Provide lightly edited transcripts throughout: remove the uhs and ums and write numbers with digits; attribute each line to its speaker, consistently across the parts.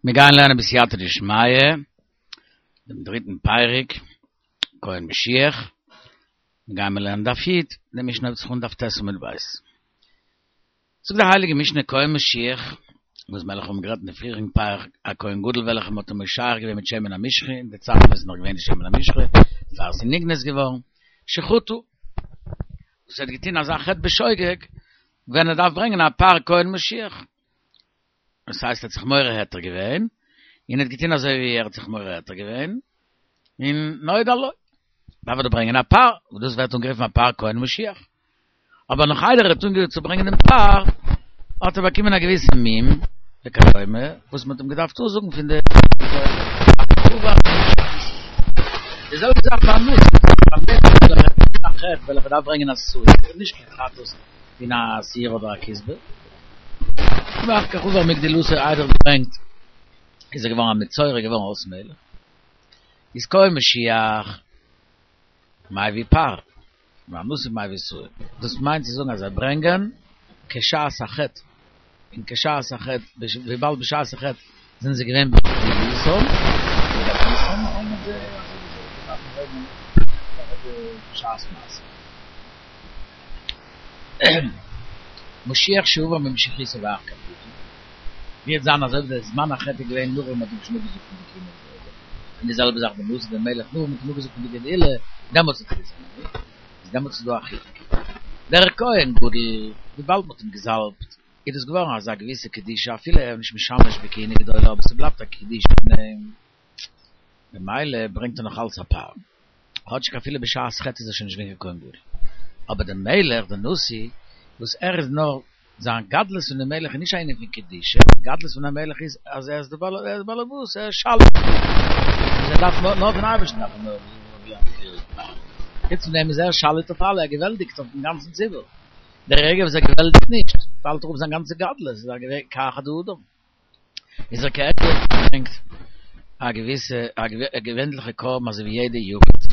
Speaker 1: מיר גייען לערנען בסייעתא דשמיא דעם דריטן פרק, כהן משיח, מיר גייען מיר לערנען דף י', די משנה הויבט זיך אן דף ט' עמוד ב'. זאגט די הייליגע משנה כהן משיח, וואס מיר האבן גערעדט אין די פריעריגן פרק, א כהן גדול וועלכע מען האט אים משח געווען מיט שמן המשחה, אין די צייט ווען עס איז נאך געווען די שמן המשחה, פאר עס איז נגנז געווארן, שחטא, וואס ער האט געטון אזא חטא בשוגג, ווען ער דארף ברענגען א פר כהן משיח. דאס הייסט ער האט זיך מורה היתר געווען, און ער האט געטון אזוי ווי ער האט זיך מורה היתר געווען, און נודע לו, דארף ער דאך ברענגען א פר, וואס דאס ווערט אנגערופן א פר כהן משיח. אבער נאך איידער ער האט אנגעהויבן צו ברענגען דעם פר, האט ער באקומען א געוויסע מום וכדומה, וואס מען האט אים געדארפט אפזאגן פון די די זעלבע זאך ביי א נשיא, ביי א מלך וועלכער האט געטון א חטא וועלכער דארף ברענגען א שעיר, נישט קיין חטאת פון א שעיר אדער א כשבה. ואחר כך עובר מגדולתו איידער געברענגט איז ער געווארן א מצורע געווארן אויס מלך איז כהן משיח מביא פר והנשיא מביא שעיר דאס מיינט צו זאגן אז זיי ברענגען כשעת החטא און כשעת החטא וויבאלד בשעת החטא זענען זיי געווען בגדולתם בשעת מעשה. משיח שעבר ממשיחותו ואחר כך חטא, ווי וועט זיין אז אויב דער זמן החטא איז געווען נאך ווען מ'האט אים שוין אפגעזאגט פון די כהונה גדולה, און די זעלבע זאך בנשיא דער מלך נאך ווען מ'האט אים אפגעזאגט פון די גדולה, דעמאלטס האט ער געזינדיגט, איז דעמאלטס איז דא א חילוק. דער כהן גדול, וויבאלד מ'האט אים געזאלבט, איז דאס געווארן אזא געוויסע קדושה אפילו ער איז נישט משמש בכהונה גדולה אבער ס'בלייבט א קדושה פון אים. ממילא ברענגט ער נאך אלץ א פר, כאטשיג אפילו בשעת חטא איז ער שוין נישט געווען קיין כהן גדול. אבער דער מלך, דער נשיא, וואס ער איז נאר, זיין גדלות פון דעם מלך איז נישט א ענין פון קדושה, די גדלות פון א מלך איז אז ער איז דער בעל, ער איז בעל הבית, ער איז שליט, און ער דארף נאר, נאר פון אייבערשטן דארף ער נאר חוץ פון דעם איז ער שליט אויף אלע, ער געוועלטיגט אויפן גאנצן ציבור. דער רגע וואס ער געוועלטיגט נישט, פאלט אראפ זיין גאנצע גדלות, איז א כאחד האדם. איז ער כהדיוט ברענגט א געוויסע א געווענליכע קרבן אזוי ווי יעדע יחיד.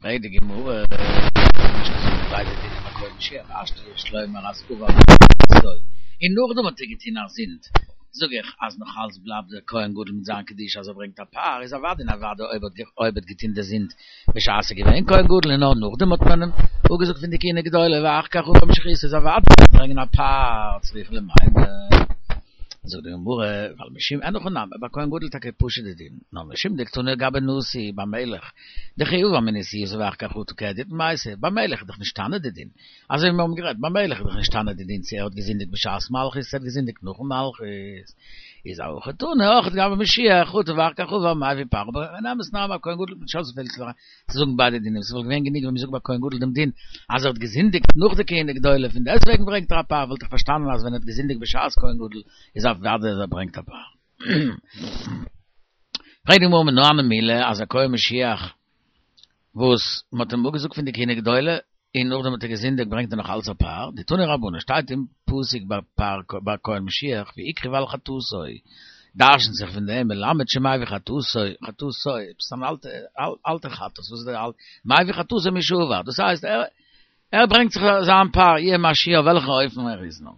Speaker 1: פרעגט די גמרא, נישט געזאגט ביידע דינים ביי כהן משיח השתא יש לומר אז עבר ממשיחותו און נאכדעם האט ער געטון א זינד, זאג איך אז נאך אלץ בלייבט דער כהן גדול מיט זיין קדושה אז ער ברענגט א פר איז אוודאי און אוודאי אויב אויב האט געטון די זינד בשעת ער געווען כהן גדול און נאר נאכדעם האט מען אים אפגעזאגט פון די כהונה גדולה ואחר כך עבר ממשיחותו איז אוודאי ברענגען א פר צריכא למימר. זאגט די גמרא ווייל משום אין הכי נמי ביי כהן גדול טאקע פשוט די דין נאר משום דקתני גבי נשיא ביי מלך דכי עבר מנשיאותו ואחר כך חטא כהדיוט מייתי ביי מלך איז דאך נשתנה די דין אזוי ווי מיר האבן גערעדט ביי מלך איז דאך נשתנה די דין צו ער האט געזינדיגט בשעת מלכות צו ער האט געזינדיגט נאכן מלכות איז הכי תנא אויך גבי משיח חטא ואחר כך עבר מביא פר אבער אין אמת'ן אריין ביי כהן גדול נישט אזויפיל צו זאגן ביידע דינים ס'וואלט געווען גענוג ווען מ'זאגט ביי כהן גדול דעם דין אז ער האט געזינדיגט נאך די כהונה גדולה פון דעסטוועגן ברענגט ער א פר וואלט איך פארשטאנען אז ווען ער האט געזינדיגט בשעת כהן גדול איז אוודאי אז ער ברענגט א פר. פרעגט די גמרא מנא הני מילי אז א כהן משיח וואס מ'האט אים אפגעזאגט פון די כהונה גדולה, און נאכדעם האט ער געזינדיגט ברענגט ער נאך אלץ א פר, דתנו רבנן שטייט אין פסוק ביי פר ביי כהן משיח והקריב על חטאתו, דרש'נט זיך פון דעם מלמד שמביא חטאתו, חטאתו, עפעס אן אלטע אלטע חטאת, וואס איז דער אלט, מביא חטאתו משעבר, דאס הייסט ער ער ברענגט זיך זיין פר, יהיה מה שיהיה אויף וועלכן אופן ער איז נאר.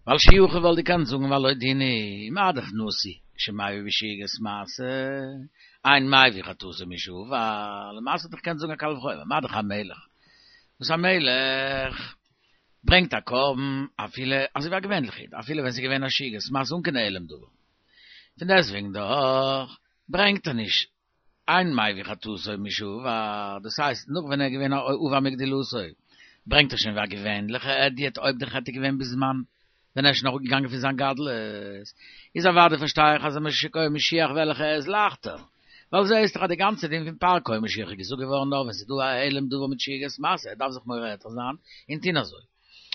Speaker 1: ווייל שיכול וואלט געקענט זאגן והלא דין הוא מה דאך נשיא שמביא בשגגת מעשה אין מביא חטאתו משעבר למעשה וואלט איך געקענט זאגן א קל וחומר מה דאך א מלך וואס א מלך ברענגט א קרבן אפילו אזוי ווי א געווענליכע איד אפילו ווען ס'איז געווען א שגגת מעשה אן קיין העלם דבר פון דעסטוועגן דאך ברענגט ער נישט אין מביא חטאתו משעבר, דאס הייסט נאך ווען ער איז געווען א עובר מגדולתו, ברענגט ער שוין ווי א געווענליכע הדיוט אויב די חטא איז געווען בזמן ווען ער איז שוין אראפגעגאנגען פון זיין גדלות, איז אוודאי פארשטיי איך אז א כהן משיח וועלכע איז לייכטער, ווייל זעהסט דאך אז די גאנצע דין פון פר כהן משיח איז געזאגט געווארן נאר ווען ס'איז דא א העלם דבר מיט שגגת מעשה, ער דארף זיך מורה היתר זיין און טוהן אזוי,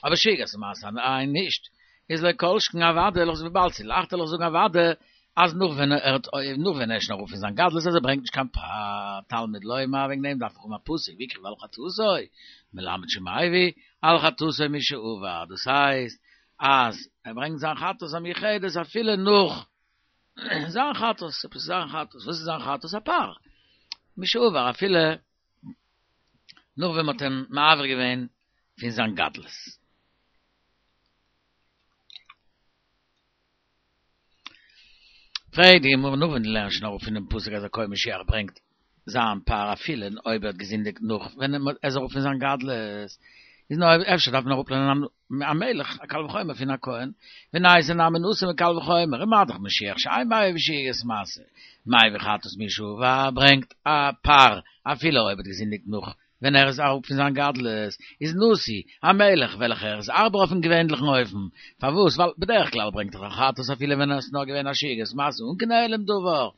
Speaker 1: אבער שגגת מעשה אליין נישט, איז לא כל שכן אוודאי, וויבאלד ס'איז לייכטער וועל איך זאגן אוודאי אז נאך ווען ער האט נאך ווען ער איז שוין אראפ פון זיין גדלות אז ער ברענגט נישט קיין פר תלמוד לומר וועגן דעם דארף איך האבן א פסוק והקריב על חטאתו מלמד שמביא על חטאתו משעבר דאס הייסט אז ער ברענגט זיין חטאת המיוחדת אפילו נאך זיין חטאת עפעס זיין חטאת וואס איז זיין חטאת א פר משעבר אפילו נאך ווען מ'האט אים מעביר געווען פון זיין גדלות. פרעגט די גמרא נאך ווען דו לערנסט שוין אראפ פונעם פסוק אז א כהן משיח ברענגט זיין פר אפילו אויב ער האט געזינדיגט נאך ווען ער איז אראפ פון זיין גדלות, איז נאר אפשר דארף מען אראפלערנען א מלך א קל וחומר פון א כהן, וניתי נמי נשיא מקל וחומר, ומה דאך משיח שאין מביא בשגגת מעשה, מביא חטאת מי שעבר ברענגט א פר אפילו אויב ער האט געזינדיגט נאך ווען ער איז אראפ פון זיין גדלות, איז נשיא, א מלך וועלכער איז הארבער אויפן געווענליכן אופן. פארוואס? ווייל בדרך כלל ברענגט ער א חטאת אפילו ווען עס איז נאר געווען א שגגת מעשה אן קיין העלם דבר.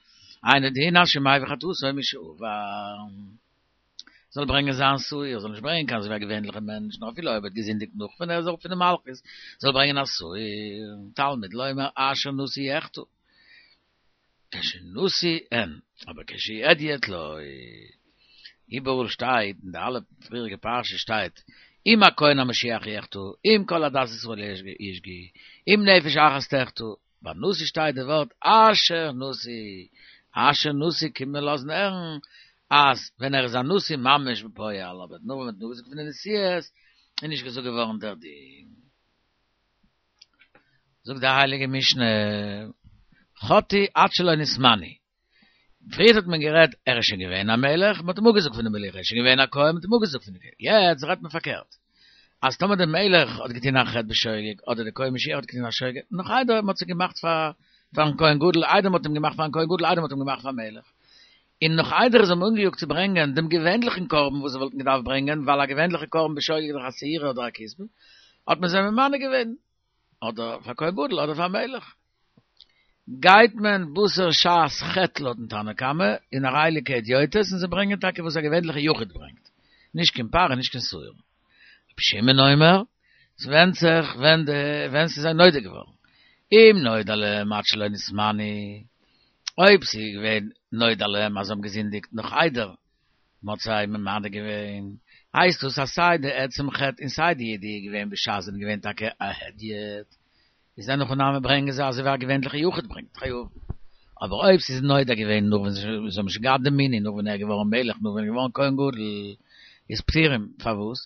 Speaker 1: אינו דין אז שמביא חטאתו משעבר. זאל ברענגען זיין שעיר, זאל נישט ברענגען קיין אזויווי א געווענליכע מענטש, נאר אפילו אויב ער האט געזינדיגט נאך ווען ער איז אראפ פון די מלכות, זאל ברענגען א שעיר. תלמוד לומר אשר נשיא יחטא. כשנשיא אין, אבער כשהדיוט לא. איבעראל שטייט, אין די אלע פריעריגע פרשות שטייט, אם הכהן המשיח יחטא, אם כל עדת ישראל ישגו, אם נפש אחת תחטא, ביי נשיא שטייט די ווארט אשר נשיא, אשר נשיא קומט מען לאזן הערן אז ווען ער איז א נשיא ממש בפועל, אבער נאר ווען מ'האט נאכגעזאגט פון די נשיאות איז נישט געזאגט געווארן דער דין. זאגט די הייליגע משנה, חטאו עד שלא נתמנו. פריערט האט מען גערעדט ער איז שוין געווען א מלך, מען האט אים אפגעזאגט פון די מלוכה, ער איז שוין געווען א כהן, מען האט אים אפגעזאגט פון די כהונה. יעצט רעדט מען פארקערט, אז טאמער דער מלך האט געטון א חטא בשוגג, אדער דער כהן משיח האט געטון א שוגג, נאך איידער מען האט זיי געמאכט פאר פארן כהן גדול, איידער מען האט אים געמאכט פארן כהן גדול, איידער מען האט אים געמאכט פאר מלך, און נאך איידער זיי האבן אנגעיאגט צו ברענגען דעם געווענליכן קרבן וואס זיי וואלטן געדארפט ברענגען, ווייל א געווענליכע קרבן בשוגג איז דאך א שעירה אדער א כשבה, האט מען זיי ממנה געווען, אדער פאר כהן גדול אדער פאר מלך. גייט מען בתר שעת חטא לויטן תנא קמא, און הרי אלו כהדיוטות, און זיי ברענגען טאקע וואס א געווענליכע יחיד ברענגט, נישט קיין פר און נישט קיין שעיר. רבי שמעון אומר, ס'ווענדט זיך ווען די ווען ס'איז זיי נודע געווארן. אם נודע להם עד שלא נתמנו, אויב ס'איז געווען נודע להם אז זיי האבן געזינדיגט נאך איידער מ'האט זיי ממנה געווען, הייסט דאס אז סיי די עצם חטא און סיי די ידיעה איז געווען בשעת זיי זענען געווען טאקע א הדיוט, איז אין הכי נמי ברענגען זיי אזוי ווי א געווענליכע יחיד ברענגט חייב. אבער אויב ס'איז נודע געווען נאך ווען זיי האבן שוין געהאט די מינוי, נאך ווען ער איז געווארן מלך, נאך ווען ער איז געווארן כהן גדול, איז פטורים. פארוואס?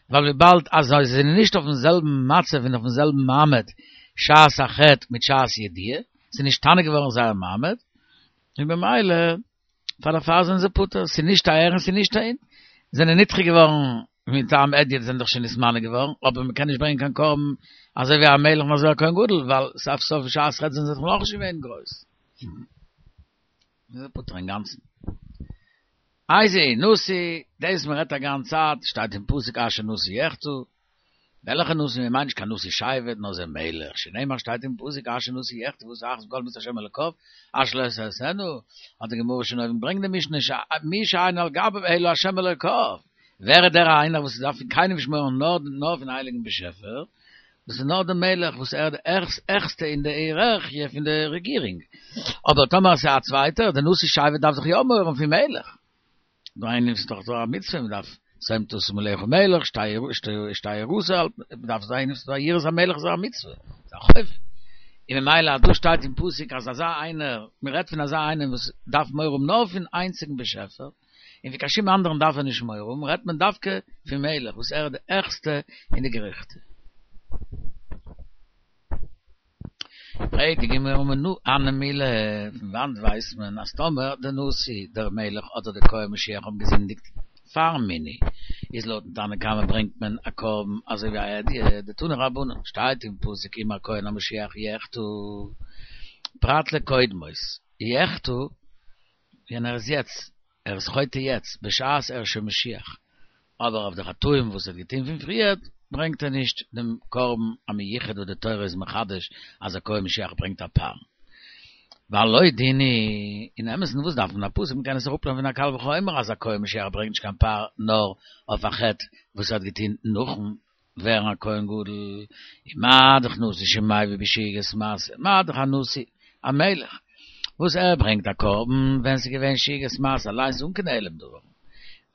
Speaker 1: ווייל וויבאלד אז זיי זענען נישט אויפן זעלבן מצב און אויפן זעלבן מעמד שעת החטא מיט שעת ידיעה, ס'איז נשתנה געווארן זייער מעמד, און במילא פאר דערפאר זענען זיי פטור, ס'איז נישט אהער און ס'איז נישט אהין, זענען נדחה געווארן מטעם הדיוט זענען דאך שוין נתמנה געווארן, אבער מ'קען נישט ברענגען קיין קרבן אזוי ווי א מלך און אזוי ווי א כהן גדול, ווייל סוף סוף בשעת חטא זענען זיי דאך נאכנישט געווען גרויס. זענען זיי פטור אינגאנצן. איזהו נשיא, דאס מ'רעדט א גאנץ צייט, שטייט אין פסוק אשר נשיא יחטא, וועלכע נשיא? מען מיינט נישט קיין נשיא שבט, נאר זה מלך, שנאמר שטייט אין פסוק אשר נשיא יחטא ועשה אחת מכל מצוות השם אלוקיו, אשר לא תעשינה, האט די גמרא שוין אויבן ברענגט די משנה מי שאינו על גביו אלא השם אלוקיו, ווער איז דער איינער וואס דארף פון קיינעם נישט מורא האבן נאר נאר פון הייליגן באשעפער, דאס איז נאר דער מלך וואס ער איז די העכסטע אין די היערארכיע פון די רעגירונג, אבער טאמער עס איז א צווייטער, דער נשיא שבט דארף דאך יא מורא האבן פון מלך. דא איינער איז דאך דא א מצוה מען דארף שום תשים עליך מלך שתהא יראתו מען דארף זיין איז דא יראת המלך איז א מצוה איז א חובה און ממילא אז דא שטייט אין פסוק אז אזא איינער מען רעדט פון אזא איינעם וואס דארף מורא האבן נאר פון איינציגן באשעפער און פון קיין שום אנדערן דארף ער נישט מורא האבן רעדט מען דווקא פון מלך וואס ער איז די העכסטע אין די געריכט. פרעגט די גמרא מנא הני מילי, פון וואנט ווייסט מען אז טאמער די נשיא, דער מלך אדער דער כהן משיח האבן געזינדיגט פארן מינוי, איז לויטן תנא קמא ברענגט מען א קרבן אזוי ווי א הדיוט, דתנו רבנן, שטייט אין פסוק אם הכהן המשיח יחטא, פרט לקודמות, יחטא, ווען ער איז יעצט, ער איז חוטא יעצט, בשעת ער איז שוין משיח, אבער אויף די חטאים וואס ער האט געטון פון פריערט, ברענגט ער נישט דעם קרבן המיוחד וואס די תורה איז מחדש אז א כהן משיח ברענגט א פר. והלא דין הוא, אין אמת'ן וואס דארף מען א פסוק, מ'קען עס אראפלערנען פון א קל וחומר אז א כהן משיח ברענגט נישט קיין פר נאר אויף א חטא וואס ער האט געטון נאכן ווערן א כהן גדול, ומה דאך נשיא שמביא בשגגת מעשה, מה דאך א נשיא, א מלך, וואס ער ברענגט א קרבן ווען ס'איז געווען שגגת מעשה אליינס אן קיין העלם דבר,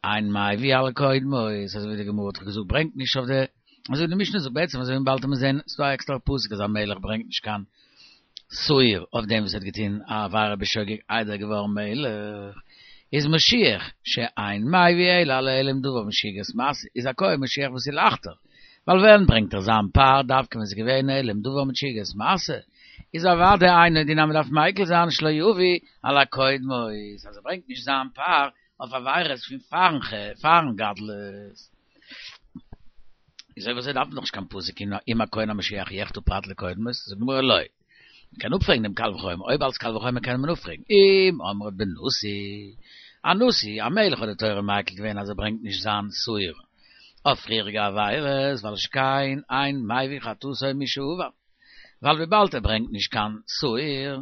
Speaker 1: אין מביא על קודמות, אזוי ווי די גמרא האט דאך געזאגט ברענגט נישט אויף די, אזוי ווי די משנה זאגט בעצם אזוי ווי באלד וועט מען זען ס'דא א עקסטערע פסוק אז א מלך ברענגט נישט קיין שעיר אויף דעם וואס האט געטון א עבירה בשוגג איידער געווארן מלך, איז משיח שאין מביא אלא על העלם דבר משגגת מעשה, איז א כהן משיח וואס איז לייכטער, ווייל ווען ברענגט ער זיין פר דווקא ווען ס'איז געווען העלם דבר מיט שגגת מעשה? איז אוודאי אינו דין אז מ'דארף מיקל זיין שלא יביא על הקודמות, אז ער ברענגט נישט זיין פר אויף עבירות פון פארן פארן גדלות. איז אויב אזוי דארף מען דאך נישט קיין פסוק אם הכהן המשיח יחטא פרט לקודמות, זאגט די גמרא לא. מ'קען אפפרעגן דעם קל וחומר, אויב אלס קל וחומר קען מען אפפרעגן, אם אמרת בנשיא, א נשיא, א מלך האט די תורה מיקל געווען אז ער ברענגט נישט זיין שעיר אויף פריעריגע עבירות, ווייל שכן אין מביא חטאתו משעבר, ווייל וויבאלד ער ברענגט נישט קיין שעיר,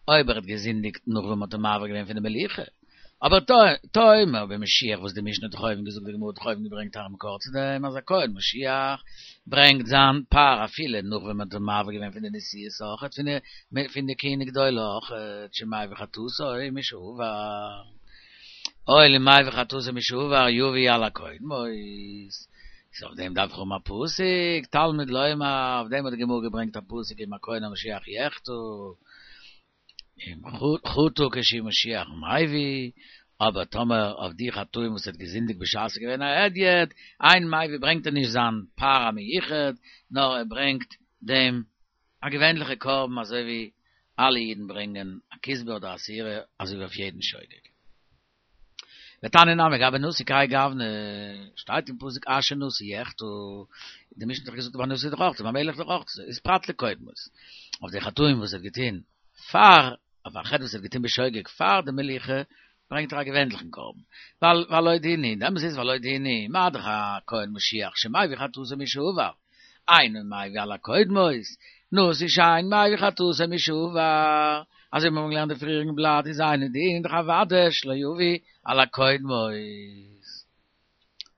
Speaker 1: אויב ער האט געזינדיגט נאך ווען מ'האט אים מעביר געווען פון די מלוכה, אבער תאמר במשיח וואס די משנה האט דאך אויבן געזאגט די גמרא האט דאך אויבן געברענגט א מקור צו דעם אז א כהן משיח ברענגט זיין פר אפילו נאך ווען מען האט אים מעביר געווען פון די נשיאות אויכעט פון די כהונה גדולה אויכעט שמביא חטאתו משעבר הואיל ומביא חטאתו משעבר יביא על הקודמות איז אויף דעם דארף איך האבן א פסוק תלמוד לומר אויף דעם האט די גמרא געברענגט א פסוק אם הכהן המשיח יחטא. אם חטא כשהוא משיח מביא, אבער טאמער אויף די חטאים וואס ער האט געזינדיגט בשעת ער איז געווען א הדיוט, אין מביא ברענגט ער נישט זיין פר המיוחד, נאר ער ברענגט דעם א געווענליכע קרבן אזוי ווי אלע אידן ברענגען א כשבה אדער א שעירה אזוי ווי אויף יעדן שוגג. ותניא נמי גבי נשיא כהאי גוונא, שטייט אין פסוק אשר נשיא יחטא, די משנה האט דאך געזאגט ביי נשיא דאך אויך, ביי מלך דאך אויך, איז פרט לקודמות, אויף די חטאים וואס ער האט געטון פאר, אויף א חטא וואס ער האט געטון בשוגג פאר די מלוכה, ברענגט ער א געווענליכן קרבן, ווייל והלא דין הוא, דער אמת איז והלא דין הוא, מה דאך א כהן משיח שמביא חטאתו משעבר, אינו מביא על הקודמות, נשיא שאין מביא חטאתו משעבר, אזוי ווי מיר האבן געלערנט די פריעריגן בלאט איז אינו דין דאך אוודאי שלא יביא על הקודמות.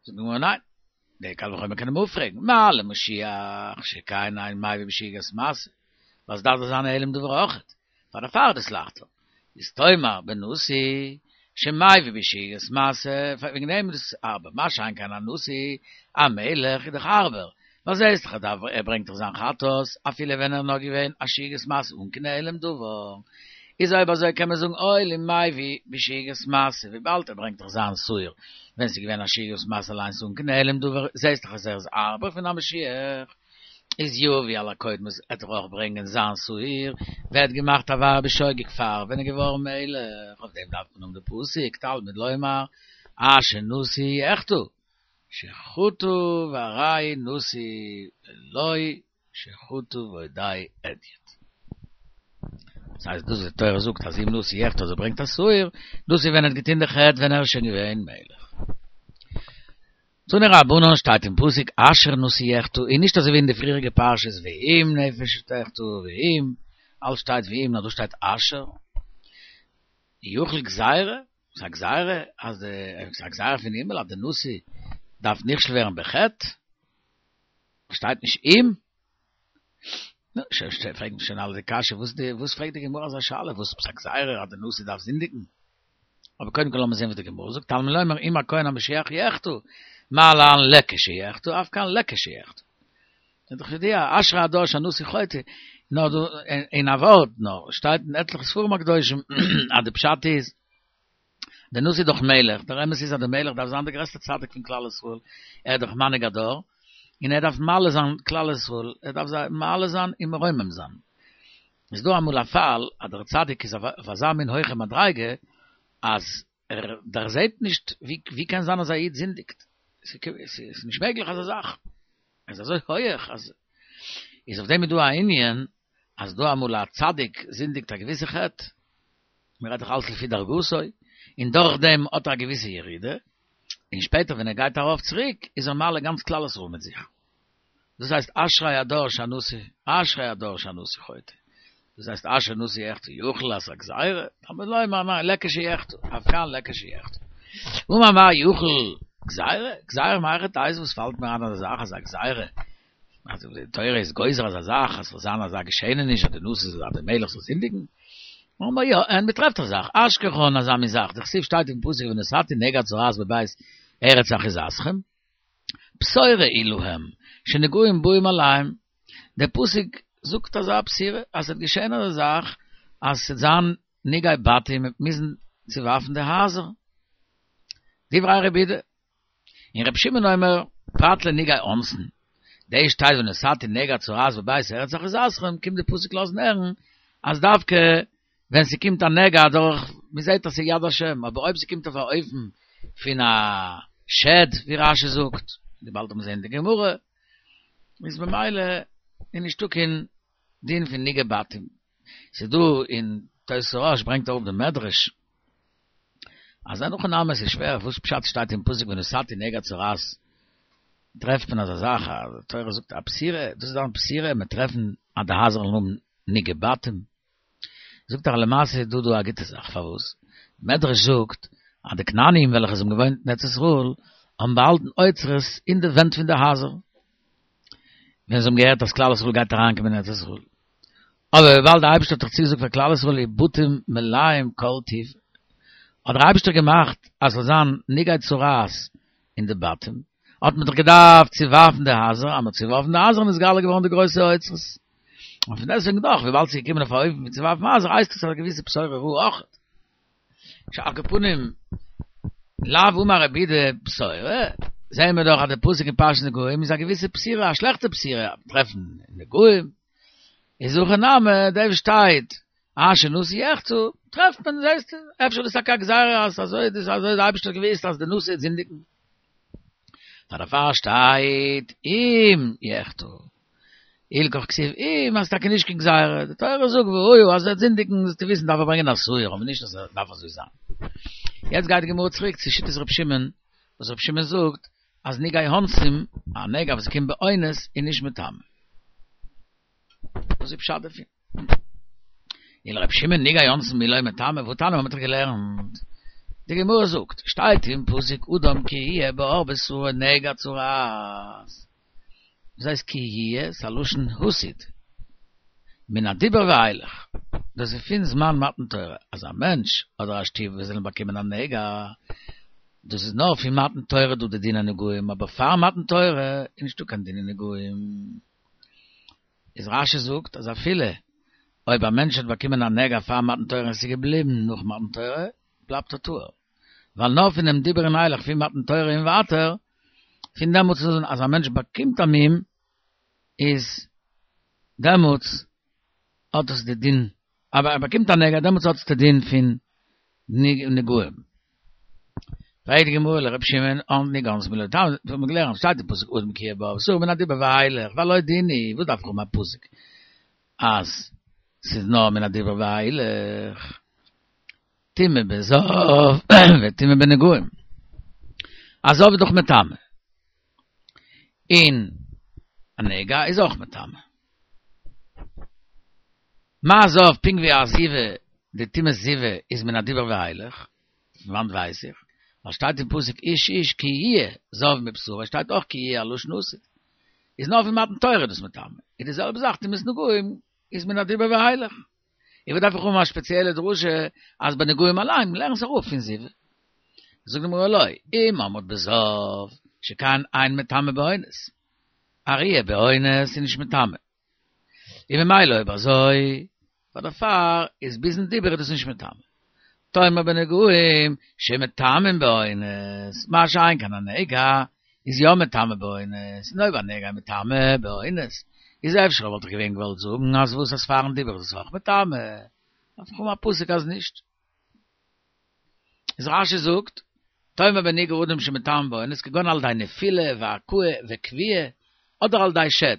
Speaker 1: זאגט די גמרא ניין, די קל וחומר קען מען אפפרעגן, מה למשיח שכן אין מביא בשגגת מעשה, וואס דארף דאס זיין העלם דבר אויכעט, פאר דערפאר איז דאס לייכטער, איז תאמר בנשיא שמביא בשגגת מעשה, וועגן דעם איז דאס הארבער, מה שאין כן א נשיא, א מלך איז דאך הארבער, ווייל זעהסט דאך אז ער ברענגט דאך זיין חטאת אפילו ווען ער איז נאר געווען א שגגת מעשה אן קיין העלם דבר, איז אויב אזוי קען מען זאגן הואיל ומביא בשגגת מעשה וויבאלד ער ברענגט דאך זיין שעיר ווען ס'איז געווען א שגגת מעשה אליינס אן קיין העלם דבר, זעהסט דאך אז ער איז הארבער פון א משיח. איז יביא על הקודמות עט ער אויך ברענגען זיין שעיר, ווער האט געמאכט עבירה בשוגג פאר ווען ער געווארן מלך, אויף דעם דארף מען האבן די פסוק תלמוד לומר אשר נשיא יחטא שחטא והרי נשיא ולא שחטא ועודהו הדיוט. דאס הייסט דאס וואס די תורה זאגט אז אם נשיא יחטא אז ער ברענגט א שעיר, דאס איז ווען ער האט געטון די חטא ווען ער איז שוין געווען מלך. תנו רבנן שטייט אין פסוק אשר נשיא יחטא און נישט אזוי ווי אין די פריעריגע פרשות ואם נפש תחטא ואם, אלץ שטייט ואם נאר דא שטייט אשר. יכול גזירה, ס'איז א גזירה אז די, ס'איז א גזירה פון הימל אז די נשיא דארף נכשל ווערן בחטא? שטייט נישט אם? נו, שוין פרעגן שוין אלע די קשיא, וואס די, וואס פרעגט די גמרא אזא שאלה, וואס עפעס א גזירה אז די נשיא דארף זינדיגן? אבער קודם כל לאמיר זען וואס די גמרא זאגט, תלמוד לומר אם הכהן המשיח יחטא, מה להלן לכשיחטא, אף כאן לכשיחטא. איז דאך ידוע, אשרי הדור שהנשיא חוטא, נאר דא אין א ווארט נאר, שטייט אין עטליכע ספרים הקדושים אז די פשט איז, דער נשיא איז דאך מלך, דער אמת איז אז דער מלך דארף זיין דער גרעסטער צדיק פון כלל ישראל, ער איז דאך מנהיג הדור, און ער דארף מעלה זיין כלל ישראל, ער דארף זיי מעלה זיין און מרומם זיין. איז דא אמאל א פאל אז דער צדיק איז אויף אזא מין הויכע מדריגה, אז ער דערזעט נישט ווי קען זיין אז א איד זינדיגט, ס'איז נישט מעגליך אזא זאך, ער איז אזוי הויעך אז, איז אויף דעם איז דא א ענין אז דא אמאל א צדיק זינדיגט א געוויסע חטא, מען רעדט דאך אלץ לפי דרגתו, און דורך דעם האט ער א געוויסע ירידה, און שפעטער ווען ער גייט ארויף צוריק איז ער מעלה גאנץ כלל ישראל מיט זיך. דאס הייסט אשרי הדור שהנשיא, אשרי הדור שהנשיא חוטא. דאס הייסט אשר נשיא יחטא יכול אז א גזירה, תלמוד לומר ניין לכשיחטא, אף כאן לכשיחטא. אמר מר יכול גזירה, גזירה מהיכי תיתי וואס פאלט מיר איין אזא זאך אז א גזירה, אז די תורה איז גוזר אזא זאך אז ס'זאל זיין אזא געשעעניש אז די נשיא זאל אז די מלך זאל זינדיגן? אמר יא, און מ'טרעפט א זאך, אשכחן אזא מין זאך, דכתיב שטייט אין פסוק ונתתי נגע צרעת בבית ארץ אחוזתכם, בשורה היא להם, שנגעים באים עליהם, דער פסוק זאגט אזא בשורה אז ס'וועט געשען אזא זאך אז ס'וועט זיין נגעי בתים מ'וועט מוזן צוווארפן די הייזער. דברי רבי יהודה. און רבי שמעון אומר פרט לנגעי אונסין, דאס שטייט ונתתי נגע צרעת בבית ארץ אחוזתכם, קומט די פסוק לאזן הערן. אז דווקא ווען ס'קומט א נגע דורך, מ'זעט אז ס'איז יד השם, אבער אויב ס'קומט אויף א אופן פון א שד, ווי רש"י זאגט, ווי באלד וועט מען זען אין די גמרא, איז ממילא איז נישטא קיין דין פון נגעי בתים. ס'איז דא אין תוס' הרא"ש ברענגט אראפ די מדרש, אז אין הכי נמי ס'איז שווער, וואס פשט שטייט אין פסוק ונתתי נגע צרעת, טרעפט מען אזא זאך אז די תורה זאגט א בשורה, דאס איז דאך א בשורה, מ'עט טרעפן אז די הייזער זאלן האבן נגעי בתים. זאגט ער למעשה איז דא דא א גוטע זאך, פארוואס? מדרש זאגט אז די כנענים וועלכע זיי האבן געוואוינט אין ארץ ישראל האבן באהאלטן אוצרות אין די ווענט פון די הייזער, ווען זיי האבן געהערט אז כלל ישראל גייט אריינקומען אין ארץ ישראל. אבער וויבאלד דער אייבערשטער האט דאך צוגעזאגט פאר כלל ישראל ובתים מלאים כל טוב, האט דער אייבערשטער געמאכט אז ס'זאל זיין נגעי צרעת אין די בתים, האט מען דאך געדארפט צוווארפן די הייזער, אז מ'האט צוווארפן די הייזער איז נתגלה געווארן די גרויסע אוצרות. און פון דעסטוועגן דאך, וויבאלד ס'איז געקומען אויף א אופן ווי צוווארפן הייזער, הייסט עס א געוויסע בשורה רעה אויך. על כל פנים, לאו אמר רבי יהודה בשורה, זעהן מיר דאך אז די פסוק אין פרשת נגעים איז א געוויסע בשורה, א שלעכטע בשורה, טרעפן נגעים, איז הכא נמי, דא וואו שטייט, אשר נשיא יחטא, טרעפט מען, זעסטו, אפשר איז דאס טאקע א גזירה אז אזוי איז דאס, אזוי האט דער אייבערשטער געוואוסט אז די נשיא וועט זינדיגן. פאר דערפאר שטייט אם יחטא. הלכך כתיב אם אז טאקע נישט קיין גזירה, די תורה זאגט והיה אז ער וועט זינדיגן זאלסטו וויסן דארף ער ברענגען א שעיר, אבער נישט אז עס דארף אזוי זיין. יעצט גייט די גמרא צוריק צו שיטת ר' שמעון, וואס ר' שמעון זאגט אז נגעי אונסים, א נגע וואס קומט באונס איז נישט מטמא. וואס איז פשט דערפון? ולר' שמעון נגעי אונסין מי לא מטמא, והתניא מ'האט דאך געלערנט, די גמרא זאגט, שטייט אין פסוק אדם כי יהיה בעור בשרו נגע צרעת, דאס הייסט כי יהיה, ס'איז א לשון עתיד, מן הדיבור ואילך, דאס איז פון זמן מתן תורה, אז א מענטש אדער א שטוב וואס זאלן באקומען א נגע, דאס איז נאר פון מתן תורה דא די דיני נגעים, אבער פאר מתן תורה איז נישטא קיין דיני נגעים. איז רש"י זאגט אז אפילו אויב א מענטש האט באקומען א נגע פאר מתן תורה און עס איז געבליבן נאך מתן תורה, בלייבט ער טהור. ווייל נאר פונעם דיבור און אילך פון מתן תורה און ווייטער, פון דעמאלטס אן אז א מענטש באקומט א מום, איז דעמאלטס האט עס די דין, אבער ער באקומט א נגע דעמאלטס האט עס די דין פון נגעים. פרעגט די גמרא ולר' שמעון אן נגעי אונסין מי לא מטמא, האט מען געלערנט שטייט אין פסוק אדם כי יהיה בעור בשרו מן הדיבור ואילך והלא דין הוא, וואס דארף איך האבן א פסוק אז ס'איז נאר מן הדיבור ואילך, טומאה בזב וטומאה בנגעים, א זב איז דאך מטמא, און א נגע איז אויך מטמא. מה זב פונקט ווי א זיבה, די טומאת זיבה איז מן הדיבור ואילך, פון וואנט ווייס איך? ווייל שטייט אין פסוק איש איש כי יהיה זב מבשרו, שטייט אויך כי יהיה א לשון עתיד, איז נאר פון מתן תורה דאס מטמא, איז די זעלבע זאך טומאת נגעים איז מן הדיבור ואילך. און וואס דארף איך האבן א ספעציעלע דרשה אז ביי נגעים אליין, לערן עס אראפ פון זיבה. זאגט די גמרא לא, אם אמרת בזב שכן אין מטמא באונס, א ראיה באונס איז נישט מטמא. און ממילא אויב אזוי, פאר דערפאר איז ביזן דיבור איז דאס נישט מטמא. תאמר בנגעים שמטמאים באונס, מה שאין כן א נגע איז יא מטמא באונס, און אויב א נגע איז מטמא באונס, איז אפשר וואלט איך געווען געוואלט זאגן אז וואס אז פארן דיבור איז עס אויך מטמא, דארף איך האבן א פסוק אז נישט. איז רש"י זאגט, תאמר בנגעי אדם שמטמא באונס כגון על ידי נפילה והכאה וכויה, אדער על ידי שד.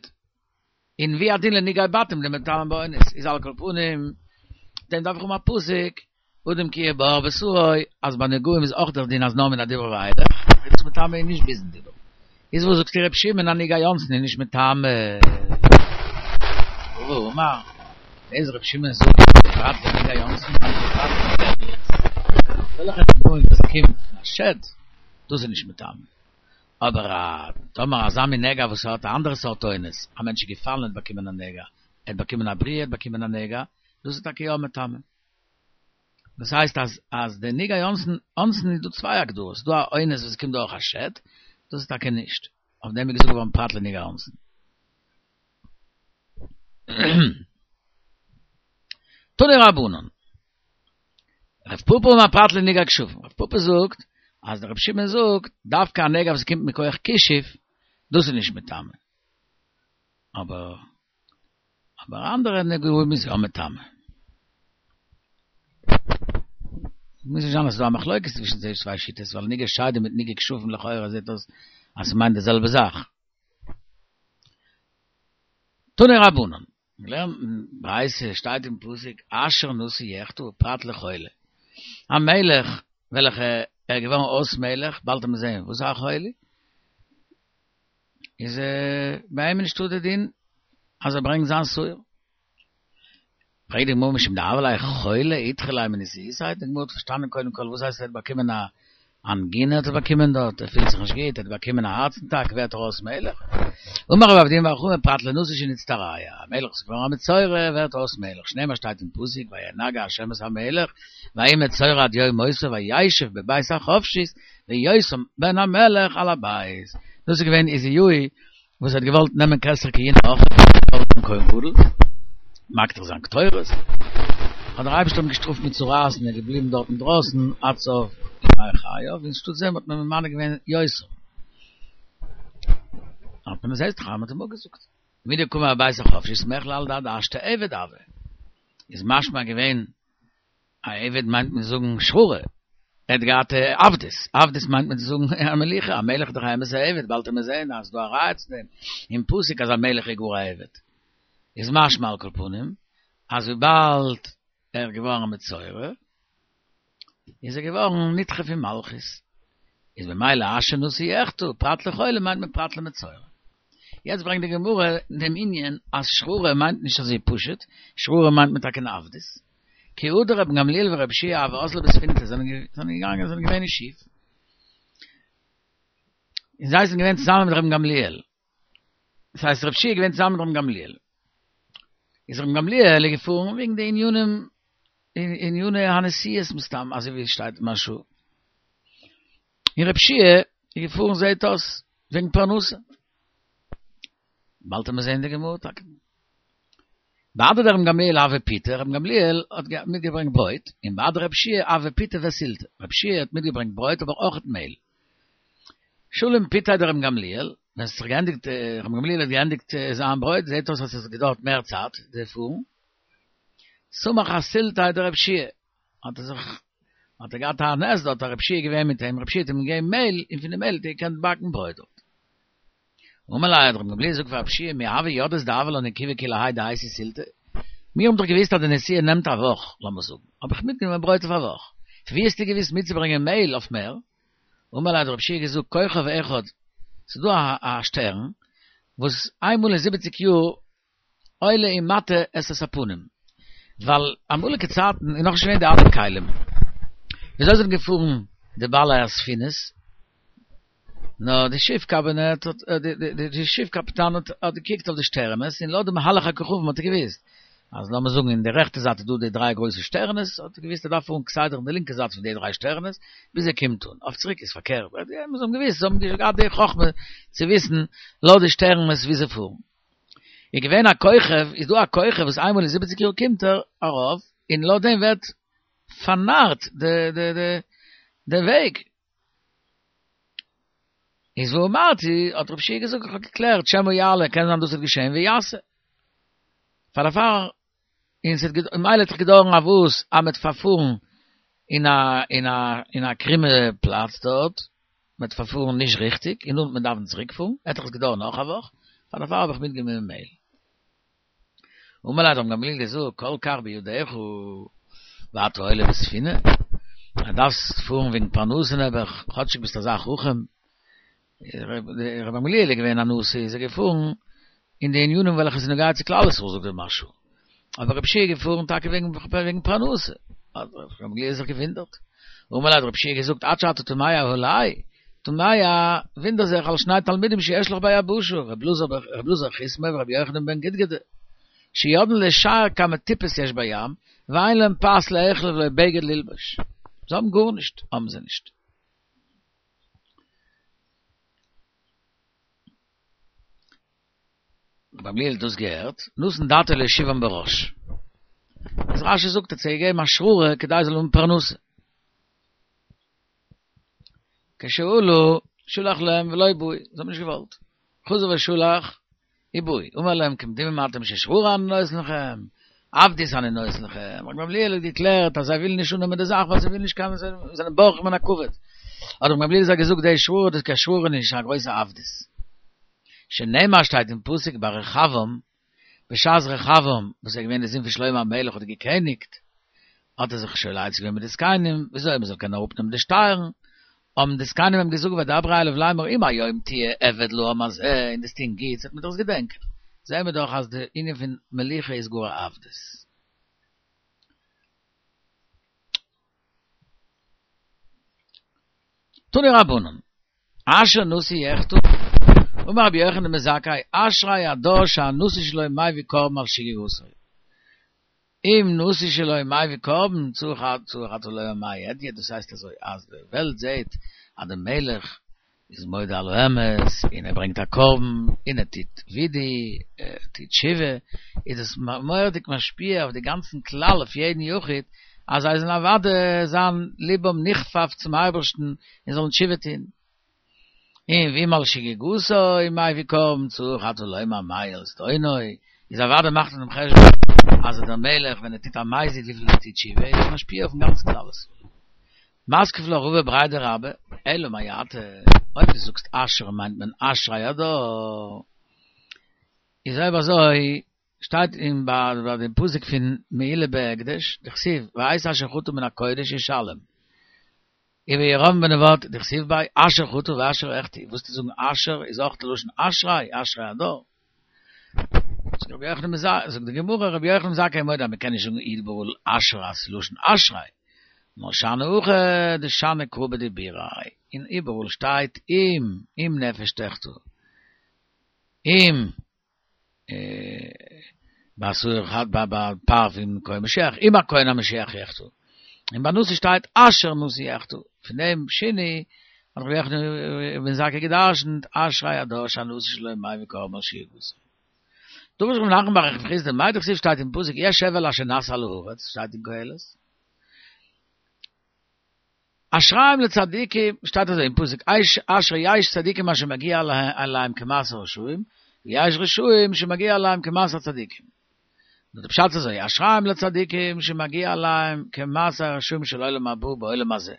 Speaker 1: און והוא הדין לנגעי בתים דמטמאין באונס, איז על כל פנים, דעם דארף איך האבן א פסוק, אדם כי יהיה בעור בשרו, אז ביי נגעים איז אויך דער דין אז נאר מן הדיבור ואילך, איז דאס מטמא און נישט ביזן דיבור. איז וואס זאגסטו ר' שמעון אז נגעי אונסין איז נישט מטמא? רבא אמר, דאס ר' שמעון זאגט פרט לנגעי אונסין מיינט ער פרט לפוריות, אזעלכע נגעים וואס קומט פון א שד, דאס איז נישט מטמא. אבער א טאמער אזא מין נגע וואס האט א אנדערע סארט אונס, א מענטש איז געפאלן און האט באקומען א נגע, ער האט באקומען א בריעה, ער האט באקומען א נגע, דאס איז טאקע יא מטמא. דאס הייסט אז אז די נגעי אונסין, אונסין איז דא צוויי הגדרות, ס'דא א אונס וואס קומט דורך א שד, דאס איז טאקע נישט, אויף דעם איז געזאגט געווארן פרט לנגעי אונסין. תנו רבנן. רב פפא אמר פרט לנגעי כשפים, רב פפא זאגט אז דער רבי שמעון זאגט דווקא א נגע וואס קומט מכח כישוף, דאס איז נישט מטמא. אבער אבער אנדערע נגעים איז יא מטמא. מוז נישט זיין אז ס'איז דא א מחלוקת צווישן די צוויי שיטות, ווייל נגעי שדים מיט נגעי כשפים לכאורה זעט אויס אז ס'מיינט די זעלבע זאך. תנו רבנן, געלערנט אין ברייתא שטייט אין פסוק אשר נשיא יחטא פרט לחולי, א מלך וועלכע ער איז געווארן אויס מלך, באלד וועט מען זען וואס איז א חולי, איז ביי אים נישטא די דין אז ער ברענגט זיין שעיר. פרעגט די גמרא משום דהוה ליה חולא אידחי ליה מנשיאותיה, די גמרא האט פארשטאנען קודם כל וואס הייסט ער האט באקומען א אנגינע האט ער באקומען דארט, ער פילט זיך נישט גוט, ער האט באקומען א הארץ אטאק, ווערט ער אויס מלך? אמר רב אבדימי בר חמא פרט לנשיא שנצטרע, א מלך וואס איז געווארן א מצורע ווערט אויס מלך, שנאמר שטייט אין פסוק וינגע ה' את המלך ויהי מצורע עד יום מותו וישב בבית החפשית ויותם בן המלך על הבית, דאס איז געווען עוזיהו וואס האט געוואלט נעמען כתר כהונה אויך דעם כהן גדול, מקטיר זיין קטורת, האט דער אייבערשטער אים געשטראפט מיט צרעת און ער איז געבליבן דארט אינדרויסן עד סוף ימי חייו, און אנשטאט דעם האט מען ממנה געווען יותם. האט מען עס הייסט חם האט אים אפגעזאגט. מדקאמר בבית החפשית מכלל דעד השתא עבד הוה, איז משמע געווען א עבד מיינט מען זאגן שררה, ער האט געהאט עבדות, עבדות מיינט מען צו זאגן א מלוכה, א מלך איז דאך א אמת'ע עבד, באלד וועט מען זעהן אז ס'דא א ראיה צו דעם אין פסוק אז א מלך איז גאר א עבד, איז משמע על כל פנים אז וויבאלד ער איז געווארן א מצורע איז ער געווארן נדחה פון מלכות, איז במילא אשר נשיא יחטא, פרט לחולה מיינט מען פרט למצורע. יעצט ברענגט די גמרא דעם ענין אז שררה מיינט נישט אזוי פשוט, שררה מיינט מען טאקע אין עבדות. כי הא דרבן גמליאל ורבי יהושע הוו אזלי בספינתא זענען געגאנגען זענען געווען אין שיף, און זיי זענען געווען צוזאמען מיט רבן גמליאל, דאס הייסט רבי יהושע איז געווען צוזאמען מיט רבן גמליאל, איז רבן גמליאל איז געפארן וועגן די ענינים עניני הנשיאות מסתם אזוי ווי עס שטייט אין מהרש"א. און רבי יהושע איז געפארן זעהט אויס וועגן פרנסה. באלד וועט מען זעהן די גמרא טאקע. בהדי דרבן גמליאל הוה פיתא, רבן גמליאל האט מיטגעברענגט ברויט, און בהדי רבי יהושע הוה פיתא וסילתא, רבי יהושע האט מיטגעברענגט ברויט אבער אויכעט מעהל. שלים פיתיה דרבן גמליאל, ווען ס'האט זיך געענדיגט, רבן גמליאל האט געענדיגט זיין ברויט, זעהט אויס אז עס האט געדויערט מער צייט די פארן. סמך אסילתיה דרבי יהושע, האט ער זיך, האט ער געהאט א נס דארט, אז רבי יהושע איז געווען מיט אים, רבי יהושע האט אים געגעבן מעהל, און פון די מעהל האט ער געקענט באקן ברויט דארט. אמר ליה האט רבי גמליאל געזאגט פאר רבי יהושע מי הוה ידעת דהוה לן עיכובא כולי האי דאייתי סילתא, מיר האבן דאך געוואוסט אז די נסיעה נעמט א וואך, לאמיר זאגן, האב איך מיטגענומען ברויט אויף א וואך, פון ווי האסטו געוואוסט מיטצוברענגען מעהל אויף מער? אמר ליה האט רבי יהושע געזאגט כוכב אחד, ס'איז דא א שטערן וואס איינמאל אין זיבעציג יאר עולה ומטה את הפנים, ווייל אמאליגע צייטן איז נאכנישט געווען די אלע כלים, וויאזוי זענען געפארן די בעלי הספינות? נאר די שיף קאבינעט האט, די שיף קאפיטאן האט געקוקט אויף די שטערענעס און לויט די מהלך הכוכבים האט ער געוואוסט אז לאמיר זאגן אין די רעכטע זייט איז דא די דריי גרויסע שטערענעס, האט ער געוואוסט ער דארף פארן כסדר אין די לינקע זייט פון די דריי שטערענעס ביז ער קומט אן, אויף צוריק איז פארקערט, זיי האבן געוואוסט, זיי האבן געהאט די חכמה צו וויסן לויט די שטערענעס ווי זיי פארן. איז געווען א כוכב, איז דא א כוכב וואס איינמאל אין זיבעציג יאר קומט ער ארויף, און לויט דעם ווערט פארנארט די די די די וועג. איז ואמרתי, האט רבי יהושע געזאגט, איך האב געקלערט, שמא יעלה, קען זיין דאס וועט געשען, ויסה. פאר דערפאר, און ס'האט געד, מילא האט זיך געדויערן א וואס, אז מ'וועט פארפארן אין א אין א אין א קרומע פלאץ דארט, מ'וועט פארפארן נישט ריכטיג, און נאכדעם וועט מען דארפן צוריק פארן, וועט דאך עס געדויערן נאך א וואך, פאר דערפאר האב איך מיטגענומען מעהל. אמר ליה האט רבן גמליאל געזאגט, כל כך בידך, ואתה עולה בספינה, אז דארפסט פארן וועגן פרנסה נעבעך, כאטשיג ביסט אזא חכם, רבן גמליאל איז געווען א נשיא איז ער געפארן אין די ענינים וועלכע איז נוגע צו כלל ישראל זאגט דער מהרש"א, אבער רבי יהושע איז געפארן טאקע וועגן פרנסה, האט רבן גמליאל זיך געוואונדערט, אמר ליה האט רבי יהושע געזאגט עד שאתה תמה עלי, תמה וואונדער זיך על שני תלמידים שיש לך ביבשה, רבי אלעזר חיסמא ורבי יוחנן בן גדגדה, שיודעין לשער כמה טיפות יש בים, ואין להם פת לאכול ולא בגד ללבוש, זיי האבן גארנישט האבן זיי נישט. רבן גמליאל האט דאס געהערט, נתן דעתו להושיבם בראש. איז רש"י זאגט ער האט זיי געגעבן א שררה כדי זיי זאלן האבן פרנסה. כשעלו שלח להם ולא בעו, זיי האבן נישט געוואלט. חזר ושלח ובאו, אמר להם כמדומין אתם ששררה אני נותן לכם. עבדות אני נותן לכם, רבן גמליאל האט געקלערט אז זיי ווילן נישט אננעמען די זאך ווייל זיי ווילן נישט קיין זיי זענען בורחים מן הכבוד, האט רבן גמליאל זיי געזאגט די שבועה דאס איז קיין שבועה נישט, א גרויסע עבדות. שנאמר שטייט אין פסוק ביי רחבעם, בשעת רחבעם וואס איז געווען די זון פון שלמה המלך האט געקעניגט, האט ער זיך שואל עצה געווען מיט די זקנים וויאזוי מען זאל קענען אראפנעמען די שטייערן, האבן די זקנים אים געזאגט וידברו אליו לאמר אם היום תהיה עבד לעם הזה און דו'סט טון גוטס וועט מען דאס געדענקען, זעהן מיר דאך אז די ענין פון מלוכה איז גאר א עבדות. תנו רבנן, אשר נשיא יחטא, אמר רבי יוחנן בן זכאי, אשרי הדור שהנשיא שלו מביא קרבן על שגגתו. אם נשיא שלו מביא קרבן צריך צריך אתה לומר מאי אדיא, דאס הייסט אזוי אז די וועלט זעהט אז די מלך איז מודה על האמת און ער ברענגט א קרבן און ער טוט וידוי, ער טוט תשובה, איז עס מורא'דיג משפיע אויף די גאנצן כלל אויף יעדן יחיד אז זיי זאלן אוודאי זיין לבם נכפף צום אייבערשטן און זאלן תשובה טון. און ואם על שגגתו מביא קרבן צריך אתה לומר מה על זדונו, איז אוודאי מאכט מען דעם חשבון אז דער מלך ווען ער טוט א מזיד וויפיל ער טוט תשובה איז עס משפיע אויפן גאנצן כלל ישראל. מתקיף לה רבא בריה דרבה, אלא מעתה, אויב דו זאגסט אשר מיינט מען אשרי הדור, איז אויב אזוי שטייט אין ביי דעם פסוק פון מעילה בהקדש, דכתיב ואת אשר חטא מן הקודש ישלם. ובירבעם בן נבט דכתיב ביה אשר חטא ואשר החטיא, וואס צו זאגן אשר איז אויך די לשון אשרי, אשרי הדור. זאגט רבי יוחנן בן זכאי, זאגט די גמרא רבי יוחנן בן זכאי מודה אז מען קען נישט זאגן איבעראל אשר אז ס'איז לשון אשרי, נאר שאני הכא דשני קרא בדיבוריה, און איבעראל שטייט אם, אם נפש תחטא, אם ביי שעיר ביי פר פון כהן משיח, אם הכהן המשיח יחטא. און ביי נשיא שטייט אשר נשיא יחטא. פון דעם שינוי האט רבי יוחנן בן זכאי גע'דרש'נט אשרי הדור שהנשיא שלו מביא קרבן על שגגתו. דרש רב נחמן בר רב חסדא מאי דכתיב שטייט אין פסוק יש הבל אשר נעשה על הארץ שטייט אין קהלת. אשריהם לצדיקים, שטייט אזוי אין פסוק, אשרי יש צדיקים אשר מגיע להם כמעשה רשעים, ויש רשעים שמגיע להם כמעשה צדיקים. נו די פשט איז אזוי, אשריהם לצדיקים שמגיע להם כמעשה רשעים של עולם הבא בעולם הזה.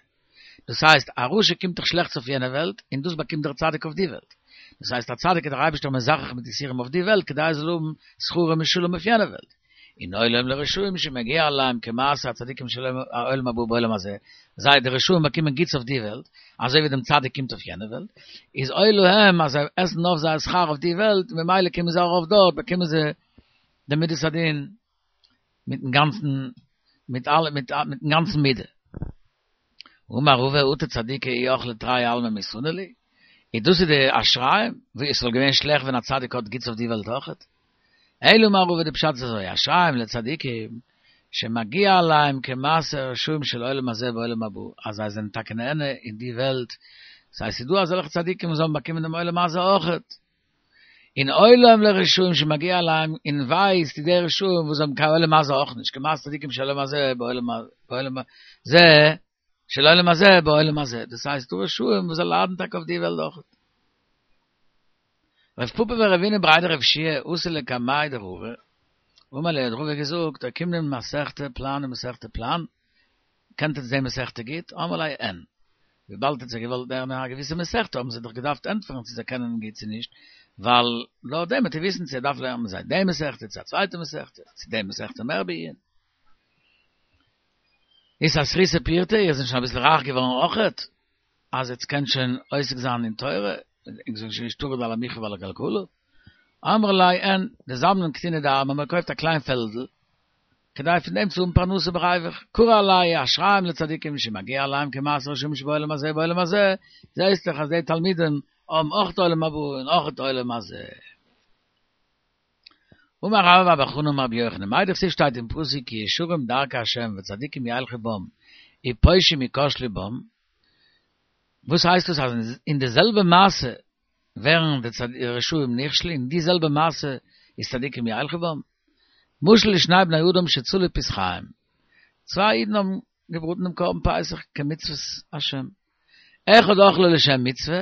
Speaker 1: דאס הייסט, א רשע קומט דאך שלעכטס אויף יענע וועלט, און דאס באקומט דער צדיק אויף די וועלט. דאס הייסט, א צדיק איז דער אייבערשטער מזכך מיט יסורים אויף די וועלט כדי ער זאל האבן שכרו משולם אויף יענע וועלט. און אוי להם לרשעים שמגיע להם כמעשה הצדיקים של העולם הבא בעולם הזה, זיי די רשעים באקומען גוטס אויף די וועלט, אזוי ווי דעם צדיק קומט אויף יענע וועלט, איז אוי להם אז זיי עסן אויף זייער שכר אויף די וועלט, ממילא קומען זיי ארויף דארט באקומען זיי די מידת הדין מיטן גאנצן מיט אלע מיטן גאנצן מידה. אמר רבא אטו צדיקי אי אכלי תרי עלמי מי סני להו? איז דאס איז די אשריהם? ווי עס וואלט געווען שלעכט ווען א צדיק האט גוטס אויף די וועלט אויכעט? אלא אמר רבא די פשט איז אזוי אשריהם לצדיקים שמגיע להם כמעשה רשעים של עולם הזה בעולם הבא אז זיי זענען טאקע נהנה אין די וועלט ס'הייסט ס'איז דא אזעלכע צדיקים וואס האבן באקומען דעם עולם הזה אויכעט און אוי להם לרשעים שמגיע להם, און וויי איז צו די רשעים וואס האבן קיין עולם הזה אויך נישט, כמעשה צדיקים של עולם הזה בעולם הזה, של עולם הזה בעולם הזה, דאס הייסט דא רשעים וואס זיי ליידן טאקע אויף די וועלט אויך. רב פפא ורבינא בריה דרב יהושע אתו לקמיה דרבא, אמר להו האט רבא געזאגט, אוקימנא מסכתא פלן ומסכתא פלן, קענט עטס די מסכתא גוט? אמרו ליה אין. וויבאלד האט זיי געוואלט לערנען א געוויסע מסכתא האבן זיי דאך געדארפט ענטפערן צו זיי קענען גוט צו נישט, ווייל לויט דעם וועט ער וויסן צו ער דארף לערנען מיט זיי די מסכתא צו א צווייטע מסכתא, צו די מסכתא מער בעיון. אתעשרתו פורתא, איר זענט שוין אביסל רייך געווארן אויכעט, אז עטס קענט שוין עוסק זיין אין תורה, און זענט שוין נישט טרוד על המחיה ועל הכלכלה. אמרי ליה אין, דזבנן קטינא דארמא, מען קויפט א קליין פעלדל, כדי פון דעם צו האבן פרנסה בריווח, קרי עלייהו אשריהם לצדיקים שמגיע להם כמעשה רשעים שבעולם הזה בעולם הזה, זעהסט דאך אז די תלמידים האבן אויך עולם הבא און אויך עולם הזה. אמר רבה בר בר חנה אמר רבי יוחנן, מאי דכתיב שטייט אין פסוק כי ישרים דרכי ה' וצדיקים ילכו בם ופושעים יכשלו בם, וואס הייסט דאס אז אין די זעלבע מעשה ווערן די רשעים נכשל אין די זעלבע מעשה איז צדיקים ילכו בם? משל לשני בני אדם שצלו פסחיהם, צוויי אידן האבן געבראטן דעם קרבן פסח כמצוות השם, אחד אכלו לשם מצוה,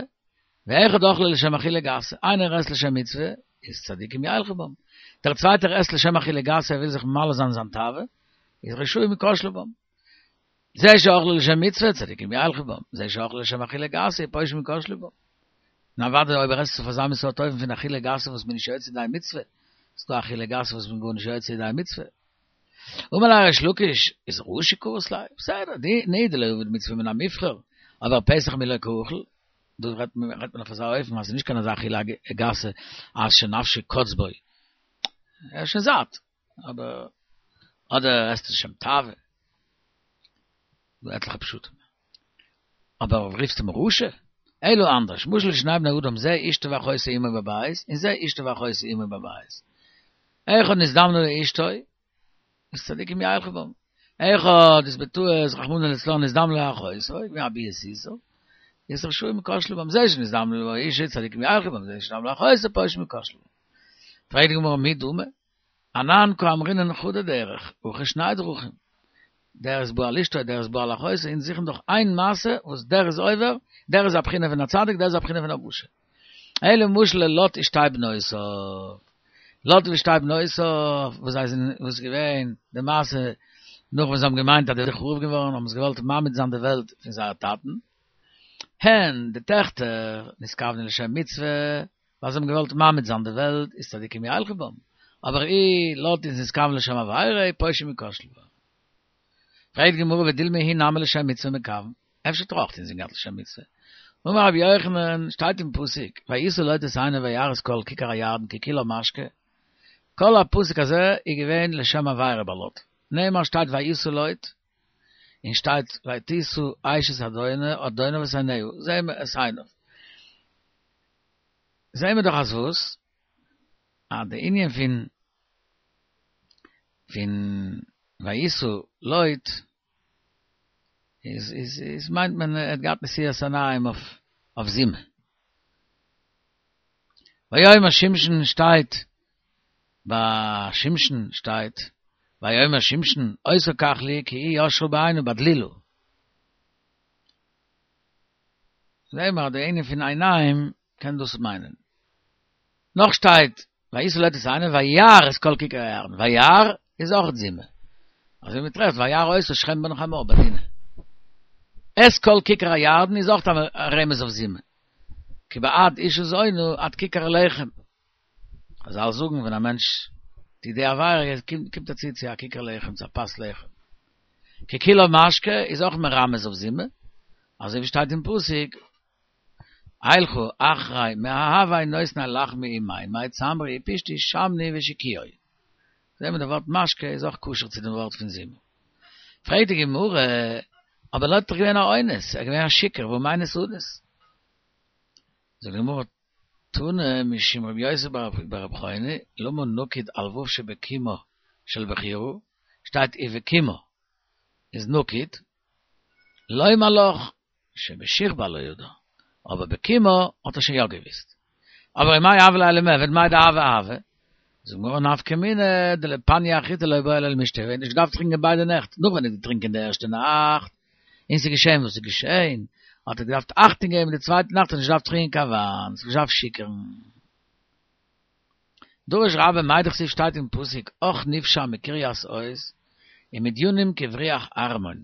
Speaker 1: ואחד אכלו לשם אכילה גסה, איינער עסט לשם מצוה, איז צדיקים ילכו בם. דער צווייטער עסט לשם אכילה גסה, ער וויל זיך ממלא זיין זיין תאווה, איז רשעים יכשלו בם. זה שאכלו לשם מצוה, צדיקים ילכו בם, זה שאכלו לשם אכילה גסה, פושעים יכשלו בם. און אוודאי אויב ער עסט עס אויף אזא מין סארט אופן פון אכילה גסה וואס מען איז נישט יוצא ידי מצוה, איז דא אכילה גסה וואס מען איז גארנישט יוצא ידי מצוה. אמר ליה ריש לקיש, איז רשע קרית ליה? בסדר, די דלא עביד מצוה מן המובחר, אבער פסח מי לא קא אכיל, דא רעדט מען אויף אזא אופן אז ס'איז נישט קיין אזא אכילה גסה אז שנפשו קץ בו, ער איז שוין זאט, אבער אדער עסט עס לשם תאווה, דא עטליכע פשטים. אבער רופסט אים רשע? אלא אנדערש, משל לשני בני אדם זה אשתו ואחותו עמו בבית, און זה אשתו ואחותו עמו בבית. אחד נזדמנה לו אשתו, איז צדיקים ילכו בם. אחד איז בטעות רחמנא לצלן נזדמנה לו אחותו, געווען א ביאת איסור, איז רשעים יכשלו בם. זה שנזדמנה לו אשתו צדיקים ילכו בם, זה שנזדמנה לו אחותו פושעים יכשלו בם. פרעגט די גמרא מי דמי? אנן קאמרינן חדא דרך, הכא שני דרכים. דער איז בא על אשתו, דער איז בא על אחותו, אונז זוכן דאך איין מעשה וואס דער איז עובר, דער איז א בחינה פון א צדיק, דער איז א בחינה פון א רשע. אלא משל ללוט ושתי בנותיו. לוט ושתי בנותיו, וואס זיי זענען, וואס איז געווען די מעשה, נאך וואס זיי האבן געמיינט אז די וועלט איז חרוב געווארן, האבן זיי געוואלט ממעט זיין די וועלט פון זייער טאטן. הן, די טעכטער, נתכוונו לשם מצוה, ווייל זיי האבן געוואלט ממעט זיין די וועלט, איז צדיקים ילכו בם, אבער אי לוט איז נתכוון לשם עבירה, פושעים יכשלו בם. פרעגט די גמרא ודילמא הוא נמי לשם מצוה מכוון, אפשר האט ער אויך אינזין געהאט לשם מצוה. אמר רבי יוחנן, שטייט אין פסוק, וישא לוט את עיניו וירא את כל כיכר הירדן כי כולה משקה, כל הפסוק הזה איז געווען לשם עבירה ביי לוט, נאמר שטייט וישא לוט, און שטייט ותשא אשת אדוניו את עיניה, זעהן מיר את עיניו. זעהן מיר דאך אז וואס? אז די ענין פון פון וישא לוט איז איז איז מיינט מען ער האט געהאט נשיאת עיניים אויף אויף זימה. ויאמר שמשון שטייט ביי שמשון שטייט ויאמר שמשון אותה קח לי כי היא ישרה בעיני בדלילה. זעהן מיר אז די ענין פון עיניים קען דאס מיינען. נאך שטייט וישא לוט את עיניו וירא את כל כיכר הירדן, וירא איז אויך זימה. אזוי ווי מען טרעפט וירא אותה שכם בן חמור ביי דינה. את כל כיכר הירדן איז אויך א רמז אויף זימה. כי בעד אשה זונה עד כיכר לחם. חזל זאגן ווען א מענטש טוט די עבירה קומט ער צו צו א כיכר לחם, צו א פת לחם. כי כולה משקה איז אויך מרמז אויף זימה, אזוי ווי שטייט אין פסוק, אלכה אחרי מאהבי נותני לחמי ומימי צמרי ופשתי שמני ושקויי. זעהן מיר די ווארט משקה איז אויך קשור צו דעם ווארט פון זימה. פרעגט די גמרא, אבער לוט איז דאך געווען א אונס, ער איז געווען א שיכור, והא מינס אנוס. זאגט די גמרא, תנא משום רבי יוסי ברבי חוני, למה נקוד על ו' שבקימה של בחירה, שטייט ובקימה איז נקוד, לומר לך שבשכבה לא ידע, אבער בקימה האט ער שוין יא געוויסט. אבער ומאי הוה ליה למיעבד מאי דהוה הוה? זאגט די גמרא נפקא מינה דלפניה אחריתי לא בעי ליה למישתי, ער האט נישט געדארפט טרינקען ביידע נעכט, נאך ווען ער האט געטרינקען די ערשטע נאכט, און ס'איז געשען וואס איז געשען, האט ער געדארפט אכטונג געבן די צווייטע נאכט האט ער נישט געדארפט טרינקען קיין וויין, זיך נישט געדארפט שיכור'ן. דרש רבה מאי דכתיב שטייט אין פסוק אך נפשע מקרית עוז ומדינים כבריח ערמון.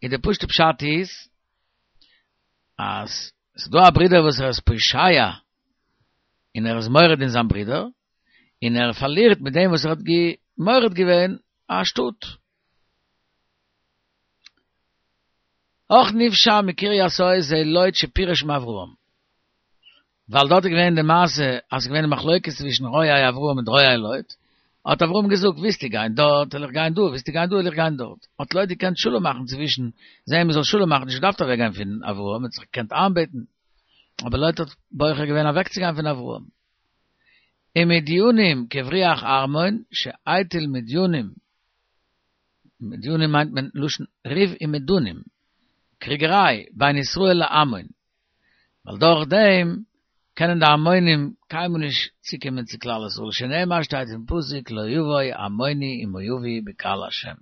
Speaker 1: און די פשוט'ע פשט איז אז ס'איז דא א ברודער וואס ער איז פושע און ער איז מורד אין זיין ברודער, און ער פארלירט מיט דעם וואס ער האט מורד געווען א שטאט. אך נפשע מקרית עוז זה לוט שפירש מאברהם. ווייל דארט איז געווען די מעשה אז ס'איז געווען די מחלוקת צווישן רועי אברהם מיט רועי לוט, האט אברהם געזאגט ווילסטו גיין דארט וועל איך גיין דא, ווילסטו גיין דא וועל איך גיין דארט, האט לוט געקענט שלום מאכן צווישן זיי מען זאל שלום מאכן, נישט געדארפט אוועק גיין פון אברהם, מען האט זיך געקענט איינבעטן, אבער לוט האט בוחר געווען אוועקצוגיין פון אברהם. ומדינים כבריח ערמון שהטיל מדינים מדינים מיינט מען לשון ריב ומדונים, קריגעריי בין ישראל לעמון, ווייל דורך דעם קענען די עמונים קיינמאל נישט צוקומען צו כלל ישראל, שנאמר שטייט אין פסוק לא יבוא עמוני ומואבי בקהל השם.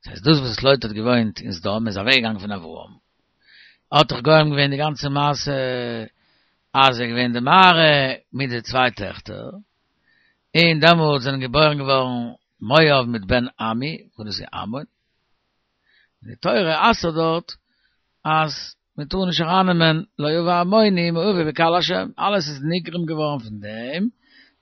Speaker 1: דאס הייסט דאס וואס לוט האט געוואוינט אין סדום איז אוועק געגאנגען פון אברהם, האט דאך גורם געווען די גאנצע מעשה. אז איז געווען די מערה מיט די צוויי טעכטער, און דעמאלט זענען געבוירן געווארן מואב מיט בן עמי, וואס דאס איז עמון. און די תורה אסר'ט דארט אז מען טאר נישט ארייננעמען לא יבא עמוני ומואבי בקהל השם, אלעס איז נגרם געווארן פון דעם,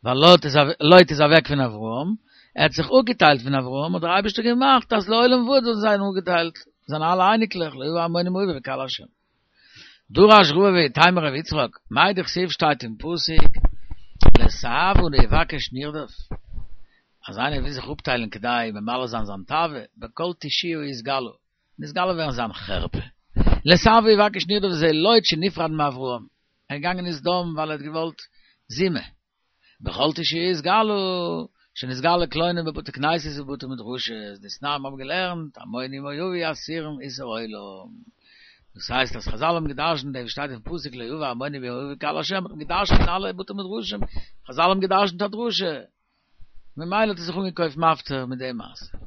Speaker 1: ווייל לוט איז לוט איז אוועק פון אברהם, ער האט זיך אפגעטיילט פון אברהם, האט דער אייבערשטער געמאכט אז לעולם ועד זאלן זיין אפגעטיילט, זיינע אלע אייניקלעך, לא יבא עמוני ומואבי בקהל השם. דרש רבא ואיתימא רב יצחק, מאי דכתיב שטייט אין פסוק, לתאוה לא יבקש נרדף, אז איינער וויל זיך אפטיילן כדי ממלא זיין זיין תאווה, בכל תושיה יתגלו, נתגלה ווערן זיין חרפה. לתאוה יבקש נרדף זה לוט שנפרד מאברהם, ער איז געגאנגען אין סדום ווייל ער האט געוואלט זימה. בכל תושיה יתגלו, שנתגלה קלונו בבתי כנסיות ובבתי מדרשות, דתנן מיר האבן געלערנט, עמוני ומואבי אסורים איסור עולם. דאס הייסט אז חזל האבן געדרשנט דעם שטייט אין פסוק לא יבא עמוני ומואבי בקהל השם האט מען געדרשנט אין אלע בתי מדרשים, חזל האבן געדרשנט א דרשה, ממילא האט ער זיך אנגעקויפט מפטיר מיט די מעשה.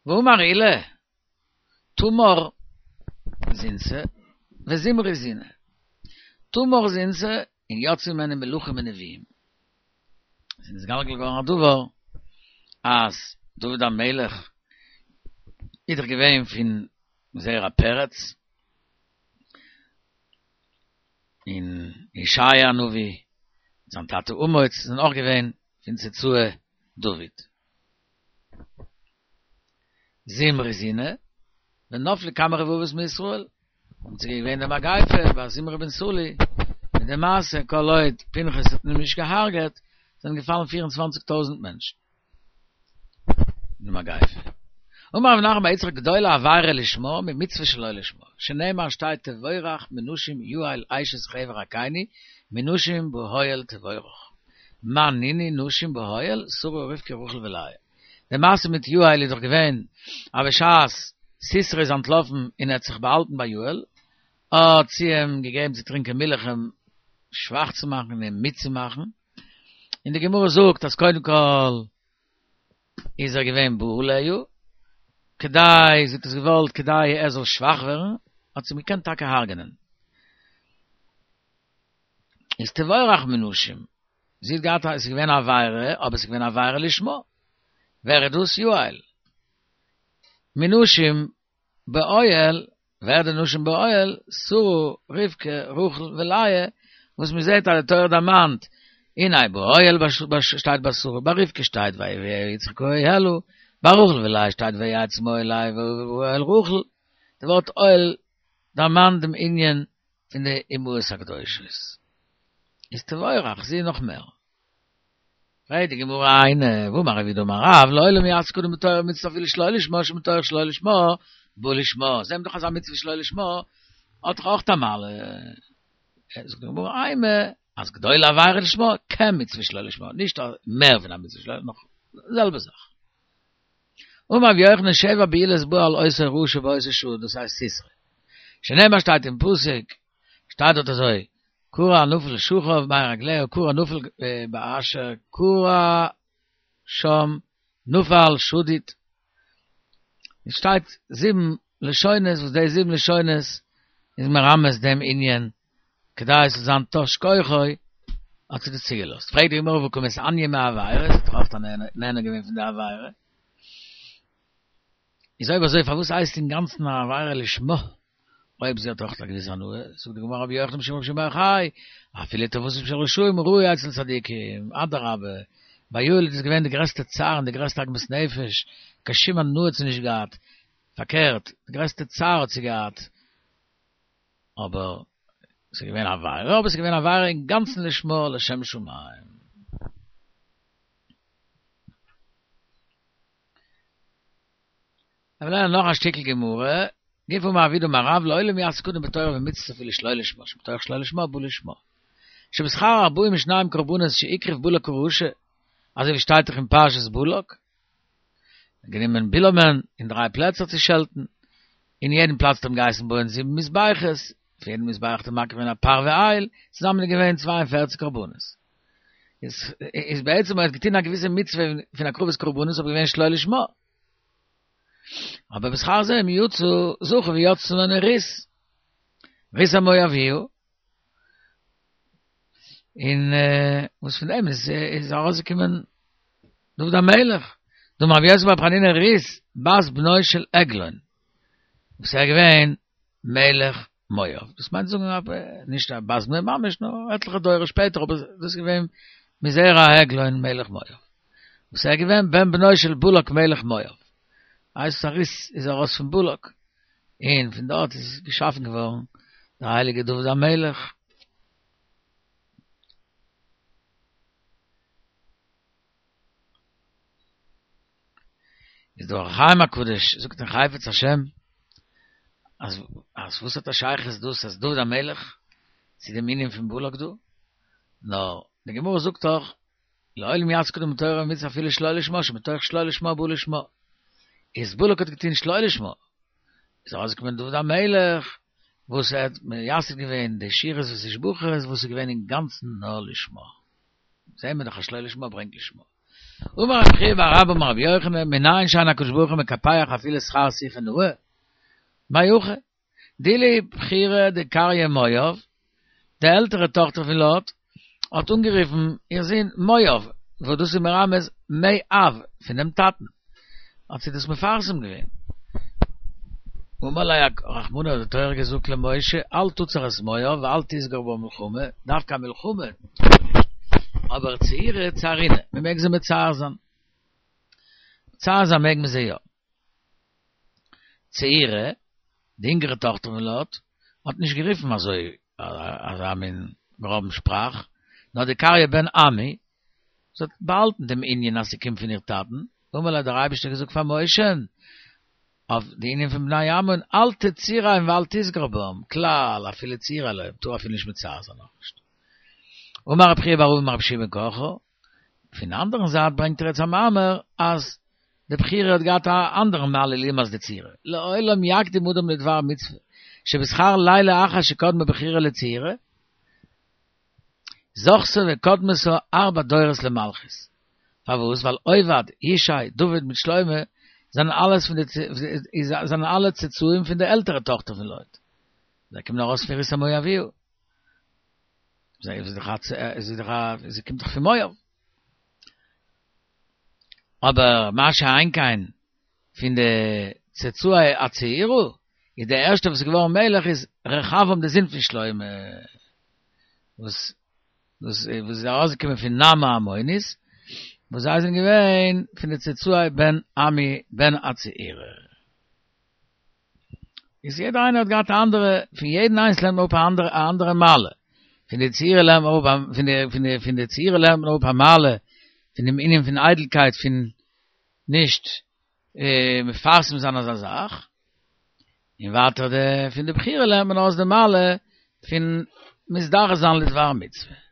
Speaker 1: ואמר עולא, תמר זינתה וזמרי זינה. תמר זינתה און יצאו ממנה מלכים ונביאים. עס איז נתגלגל געווארן א דבר אז דוד המלך איז דאך געווען פון זרע פרץ, און ישעיה הנביא, זיין טאטע אמוץ זענען אויך געווען פון צאצאי דוד. זמרי זינה, ונפלו כמה רבבות מישראל, און ס'איז געווען די מגיפה ביי זמרי בן סלוא, מיט די מעשה כל עוד פנחס האט אים נישט געהארגעט, זענען געפאלן פיר און צוואנציג טויזנט מענטשן אין די מגיפה. אמר רב נחמן בר יצחק גדולה עבירה לשמה ממצוה שלא לשמה, שנאמר שטייט תבורך מנשים יעל אשת חבר הקיני מנשים באוהל תבורך, מאן נינהו נשים באוהל שרה רבקה רחל ולאה. די מעשה מיט יעל איז דאך געווען אז בשעת סיסרא איז אנטלאפן און ער האט זיך באהאלטן ביי יעל, האט זי אים געגעבן צו טרינקען מילך אים שוואך צו מאכן און אים מיד צו מאכן, און די גמרא זאגט אז קודם כל איז ער געווען בא עליה, כדי, זי האט עס געוואלט כדי ער זאל שוואך ווערן, האט זי אים געקענט טאקע הרג'נען. איז תבורך מנשים, זי האט געהאט א, עס איז געווען א עבירה, אבער עס איז געווען א עבירה לשמה. ווער איז דאס? יעל. מנשים באוהל, ווער די נשים באוהל? שרה, רבקה, רחל ולאה, וואס מען זעט אז די תורה דערמאנט, הנה באוהל שטייט ביי שרה, ביי רבקה שטייט ויביאה יצחק האהלה, ביי רחל ולאה שטייט ויצא מאהלה ואוהל רחל, די ווארט אוהל דערמאנט דעם ענין פון די אמהות הקדושות. איז תבורך, זי נאך מער. פרעגט די גמרא היינו, והאמר רב יהודה אמר רב, לעולם יעסוק אדם בתורה ומצוה אפילו שלא לשמה, שמתוך שלא לשמה, בא לשמה. זעהן מיר דאך אז א מצוה שלא לשמה האט דאך אויך א מעלה. זאגט די גמרא אימא, אז גדולה עבירה לשמה, כמצוה שלא לשמה, נישט מער פון א מצוה שלא לשמה, נאך די זעלבע זאך. אמר רבי יוחנן שבע בעילות באו על אותו רשע באותה שעה, דאס הייסט סיסרא. שנאמר שטייט אין פסוק, שטייט דארט אזוי, כרע נפל שכב בין רגליה, כרע נפל באשר כרע שם נפל שדוד. עס שטייט זיבן לשונות וואס די זיבן לשונות איז מרמז דעם ענין כדי עס זאל זיין תש כוחו האט זי דאס צוגעלאזט. פרעגט די גמרא והא קא מתעניא מעבירה, זי האט דאך אויך נהנה געווען פון די עבירה. איז אויב אזוי פארוואס הייסט אינגאנצן א עבירה לשמה אויב זי האט אויך א געוויסע הנאה? זאגט די גמרא רבי יוחנן משום רבי שמעון בר יוחאי, אפילו טובתן של רשעים רעה אצל צדיקים, אדרבה, ביי יעל איז דאס געווען די גרעסטע צער און די גרעסטע עגמת נפש, קיין שום הנאה האט זי נישט געהאט, פארקערט, די גרעסטע צער האט זי געהאט, אבער ס'איז געווען א עבירה, אבער ס'איז געווען א עבירה אינגאנצן לשמה לשם שמים. מיר לערנען נאך א שטיקל גמרא, גופא אמר רב יהודה אמר רב לעולם יעסוק אדם בתורה ומצוות אפילו שלא לשמה, שמתוך שלא לשמה בא לשמה. שבשכר ארבעים ושניים קרבנות שהקריב בלק הרשע, אזוי ווי שטייט דאך אין פרשת בלק, גענומען בלעמ'ן אין דריי פלעצער צו שעלטן, אין יעדן פלאץ האט אים געהייסן בויען זיבן מזבחות, אויף יעדן מזבח האט ער מקריב געווען א פר ואיל, צוזאמען איז געווען צוויי און פערציג קרבנות. איז בעצם ער האט געטון א געוויסע מצוה פון הקרבת קרבנות אבער געווען שלא לשמה. אבער בשכר זה הם יצאו זכו ויצאו ממנו רות. רות המואביה. און וואס פון דעם איז איז ארויסגעקומען דוד המלך. דאמר רבי יוסי ברבי חנינא רות בת בנו של עגלון. וואס ער איז געווען מלך מואב. דאס מיינט זאגן אז נישט א בת בנו ממש, נאר עטליכע דורות שפעטער, אבער דאס איז געווען מזרע עגלון מלך מואב. וואס ער איז געווען בן בנו של בלק מלך מואב. הייסט אז רות איז ארויס פון בלק, און פון דארט איז געשאפן געווארן דער הייליגער דוד המלך. איז דער אור החיים הקדוש זאגט אין חפץ השם אז אז וואס האט א שייכות דאס אז דוד המלך צו דעם ענין פון בלק דא? נאר די גמרא זאגט דאך לעולם יעסוק אדם בתורה ומצוה אפילו שלא לשמה שמתוך שלא לשמה בא לשמה איז בלק האט געטון שלא לשמה איז ארויסגעקומען דוד המלך וואס ער האט מייסד געווען די שירות ותשבחות וואס איז געווען אינגאנצן נאר לשמה זעהן מיר דאך אז שלא לשמה ברענגט לשמה. אמר רבי חייא בר אבא אמר רבי יוחנן, מנין שאין הקדוש ברוך הוא מקפח אפילו שכר שיחה נאה? מאי הכא? דאילו בכירה דקריא מואב, די עלטערע טאכטער פון לוט, האט אנגערופן איר זון מואב, וואס דאס איז מרמז מאב, פון דעם טאטן, האט זי דאס מפרסם געווען. אמר ליה רחמנא האט די תורה געזאגט למשה אל תצר את מואב ואל תתגר בם מלחמה, דווקא א מלחמה טאר מען נישט, אבער צעורי צערינהו, מען מעג זיי מצער זיין, מצער זיין מעג מען זיי יא. צעירה, די אינגערע טאכטער פון לוט, האט נישט גערופן אזוי אזא מין גראבן שפראך, נאר דקריא בן עמי, זי האט באהאלטן דעם ענין אז ס'קומט פון איר טאטן, אמר ליה האט דער אייבערשטער געזאגט פאר משה'ן אויף די ענין פון בני עמון, אל תצורם ואל תתגר בם, כלל אפילו צעורה לא, מ'טאר אפילו נישט מצער זיין אויך נישט. אמר רבי חייא בר אבא אמר רבי יהושע בן קרחה, פון אנדערן זייט ברענגט ער יעצט א מאמר אז די בכירה האט געהאט א אנדערן מעלה לעומת די צעירה, לעולם יקדים אדם לדבר מצוה, שבשכר לילה אחת שקדמה בכירה לצעירה, זכתה וקדמתה ארבע דורות למלכות. פארוואס? ווייל עובד, ישי, דוד מיט שלמה זענען אלעס פון די זענען אלע צאצאים פון די עלטערע טאכטער פון לוט. זיי קומען ארויס פון רות המואביה. זי איז דאך א זי איז דאך א זי קומט דאך פון מואב. אבער מה שאין כן פון די צאצאי הצעירה, איז דער ערשטער וואס איז געווארן מלך איז רחבעם דער זון פון שלמה, וואס וואס איז ארויסגעקומען פון נעמה העמונית, וואס זיי זענען געווען פון די צאצאי בן עמי בן הצעירה. איז יעדער איינער האט געהאט א אנדערע, פון יעדן איינס לערנט מען אפ א אנדערע א אנדערע מעלה, פון די צעירה לערנט מען אפ פון די פון די פון די צעירה לערנט מען אפ א מעלה פון דעם ענין פון איידלקייט פון נישט מפרסם זיין אזא זאך, און ווייטער די פון די בכירה לערנט מען אויס די מעלה פון מזדרז זיין לדבר מצוה.